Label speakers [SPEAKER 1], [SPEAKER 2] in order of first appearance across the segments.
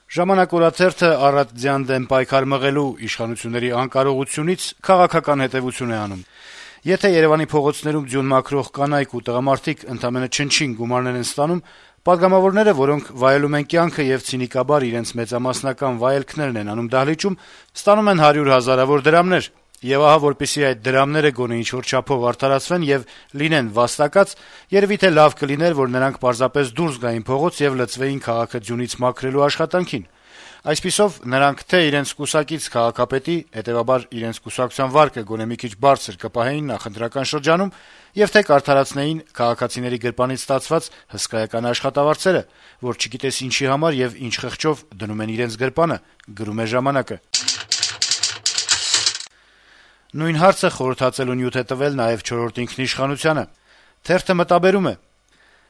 [SPEAKER 1] Ժամանակ օրաթերթը առատձյան դեմ պայքար մղելու իշխանությունների անկարողությունից քաղաքական հետեւություն է անում։ Եթե Երեւանի փողոցներում ձյուն մաքրող կանայք ու տղամարդիկ ընդամենը չնչին գումարներ են ստանում, պատգամավորները, որոնք վայելում են կյանքը եւ ցինիկաբար իրենց մեծամասնական վայելքներն են անում դահլիճում, ստանում են 100 հազարավոր դրամներ։ Եվ ահա, որպեսզի այդ դրամները գոնե ինչ-որ չափով արդարացվեն եւ լինեն վաստակած, երևի թե լավ կլիներ, որ նրանք պարզապես դուրս գային փողոց եւ լծվեին քաղաքը ձյունից մաքրելու աշխատանքին։ Այսպիսով, նրանք թե իրենց կուսակից քաղաքապետի, հետեւաբար իրենց կուսակցության վարկը գոնե մի քիչ բարձր կպահեին նախընտրական շրջանում, եւ թե կարդարացնեին քաղաքացիների գրպանից ստացված հսկայական աշխատավարձերը, որ չգիտես ինչի համար եւ ինչ խղճով դնում են իրենց գրպանը, գրում է «Ժամանակը»։ Նույն հարցը խորհրդածելու նյութ է տվել նաեւ «Չորրորդ ինքնիշխանությանը»։ Թերթը մտաբերում է.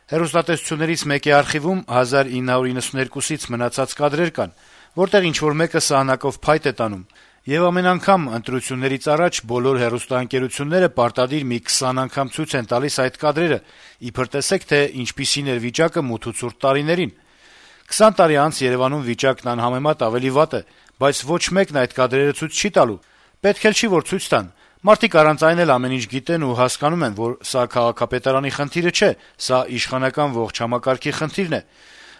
[SPEAKER 1] հեռուստատեսություններից մեկի արխիվում 1992-ից մնացած կադրեր կան, որտեղ ինչ-որ մեկը սահնակով փայտ է տանում, եւ ամեն անգամ ընտրություններից առաջ բոլոր հեռուստաընկերությունները պարտադիր մի 20 անգամ ցույց են տալիս այդ կադրերը, իբր տեսեք, թե ինչպիսին էր վիճակը մութ ու ցուրտ տարիներին։ 20 տարի անց Երեւանում վիճակն անհամեմատ ավելի վատ է, բայց ոչ մեկն այդ կադրերը ցույց չի տալու։ Պետք էլ չի, որ ցույց տան։ Մարդիկ առանց այն էլ ամեն ինչ գիտեն ու հասկանում են, որ սա քաղաքապետարանի խնդիրը չէ, սա իշխանական ողջ համակարգի խնդիրն է։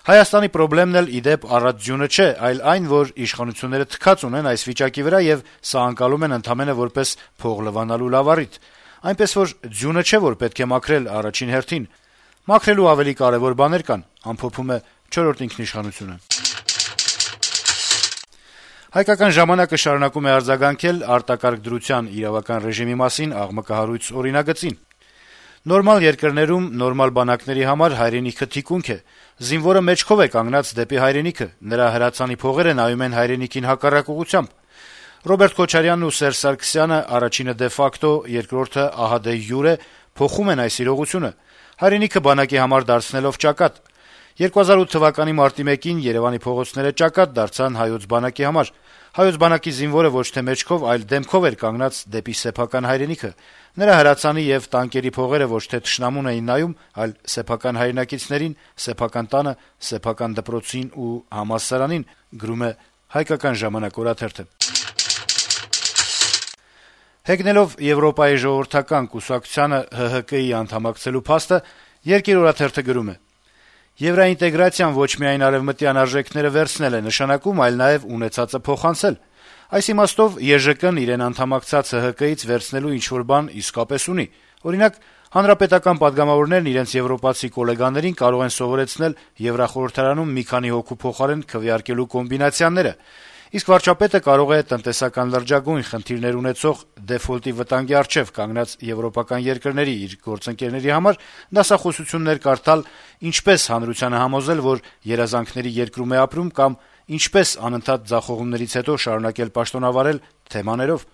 [SPEAKER 1] Հայաստանի պրոբլեմն էլ, ի դեպ, առատ ձյունը չէ, այլ այն, որ իշխանությունները թքած ունեն այս վիճակի վրա եւ սա անցալում են ընդամենը որպես փող լվանալու լավ առիթ։ Այնպես որ ձյունը չէ, որ պետք է մաքրել առաջին հերթին։ Մաքրելու ավելի կարեւոր բաներ կան, ամփոփում է «Չորրորդ ինքնիշխանությունը»։ Հայկական ժամանակը շարունակում է արձագանքել արտակարգ դրության իրավական ռեժիմի մասին աղմկահարույց օրինագծին։ Նորմալ երկրներում նորմալ բանակների համար հայրենիքը թիկունք է։ Զինվորը մեջքով է կանգնած դեպի հայրենիքը, նրա հրացանի փողերը նայում են հայրենիքին հակառակ ուղղությամբ։ Ռոբերտ Քոչարյանն ու Սերժ Սարգսյանը, առաջինը դե ֆակտո, երկրորդը ահա դե յուրե, փոխում են այս իրողությունը, հայրենիքը բանակի համար դարձնելով ճակատ։ 2008 թվականի մարտի 1-ին Երեւանի փողոցները ճակատ դարձան հայոց բանակի համար։ Հայոց բանակի զինվորը ոչ թե մեջքով, այլ դեմքով էր կանգնած դեպի սեփական հայրենիքը։ Նրա հրացանի եւ տանկերի փողերը ոչ թե թշնամուն էին նայում, այլ սեփական հայրենակիցներին, սեփական տանը, սեփական դպրոցին ու համալսարանին, գրում է «Հայկական ժամանակ» օրաթերթը։ Հեգնելով Եվրոպայի ժողովրդական կուսակցությանը ՀՀԿ-ի անդամակցելու փաստը, Երկիր օրաթերթը գրում է. Եվրոինտեգրացիան ոչ միայն արևմտյան արժեքները վերցնել է նշանակում, այլ նաեւ ունեցածը փոխանցել։ Այս իմաստով ԵԺԿ-ն իրեն անդամակցած ՀՀԿ-ից վերցնելու ինչ-որ բան իսկապես ունի։ Օրինակ, հանրապետական պատգամավորներն իրենց եվրոպացի գոլեգաներին կարող են սովորեցնել Եվրախորհրդարանում մի քանի հոգու փոխարեն քվեարկելու կոմբինացիաները, իսկ վարչապետը կարող է տնտեսական լրջագույն խնդիրներ ունեցող դեֆոլտի վտանգի առջեւ կանգնած եվրոպական երկրների իր գործընկերների համար դասախոսություններ կարդալ, ինչպես հանրությանը համոզել, որ երազանքների երկրում է ապրում կամ ինչպես անընդհատ ձախողումներից հետո շարունակել պաշտոնավարել թեմաներով։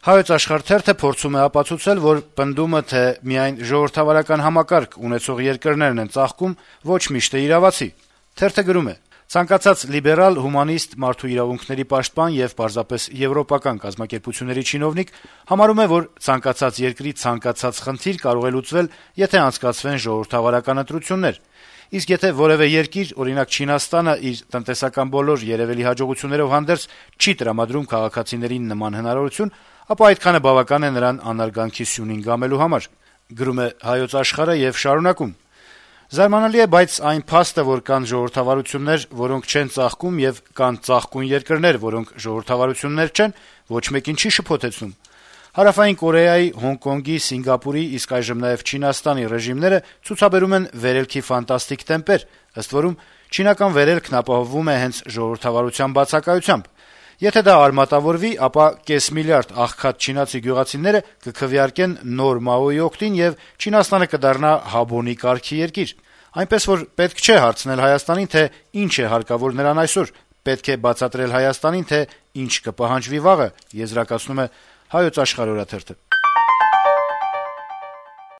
[SPEAKER 1] Հայոց Աշխարհ թերթը փորձում է ապացուցել, որ պնդումը, թե միայն ժողովրդավարական համակարգ ունեցող երկրներն են ծաղկում, ոչ միշտ է իրավացի։ Թերթը գրում է. Ցանկացած լիբերալ, հումանիստ, մարդու իրավունքների պաշտպան եւ պարզապես եվրոպական կազմակերպությունների չինովնիկ համարում է, որ ցանկացած երկրի ցանկացած խնդիր կարող է լուծվել, եթե անցկացվեն ժողովրդավարական ընտրություններ։ Իսկ եթե որևէ երկիր, օրինակ Չինաստանը, իր տնտեսական բոլոր երևելի հաջողություններով հանդերձ չի տրամադրում քաղաքացիներին նման հնարավորություն, ապա այդքանը բավական է նրան անարգանքի սյունին գամելու համար, գրում է Հայոց Աշխարհը եւ շարունակում. Զարմանալի է, բայց այն փաստը, որ կան ժողովրդավարություններ, որոնք չեն ծաղկում, եւ կան ծաղկուն երկրներ, որոնք ժողովրդավարություններ չեն, ոչ մեկին չի շփոթեցնում։ Հարավային Կորեայի, Հոնկոնգի, Սինգապուրի, իսկ այժմ նաեւ Չինաստանի ռեժիմները ցուցաբերում են վերելքի ֆանտաստիկ տեմպեր, ըստ որում չինական վերելքն ապահովվում է հենց ժողովրդավարության բացակայությամբ։ Եթե դա արմատավորվի, ապա կես միլիարդ աղքատ չինացի գյուղացիները կքվեարկեն նոր Մաոյի օգտին եւ Չինաստանը կդառնա հաբոնի կարգի երկիր։ Այնպես որ պետք չէ հարցնել Հայաստանին, թե ինչ է հարկավոր նրան այսօր, պետք է բացատրել Հայաստանին, թե ինչ կպահանջվի վաղը, եզրակացնում է Հայոց Աշխարհ օրաթերթը։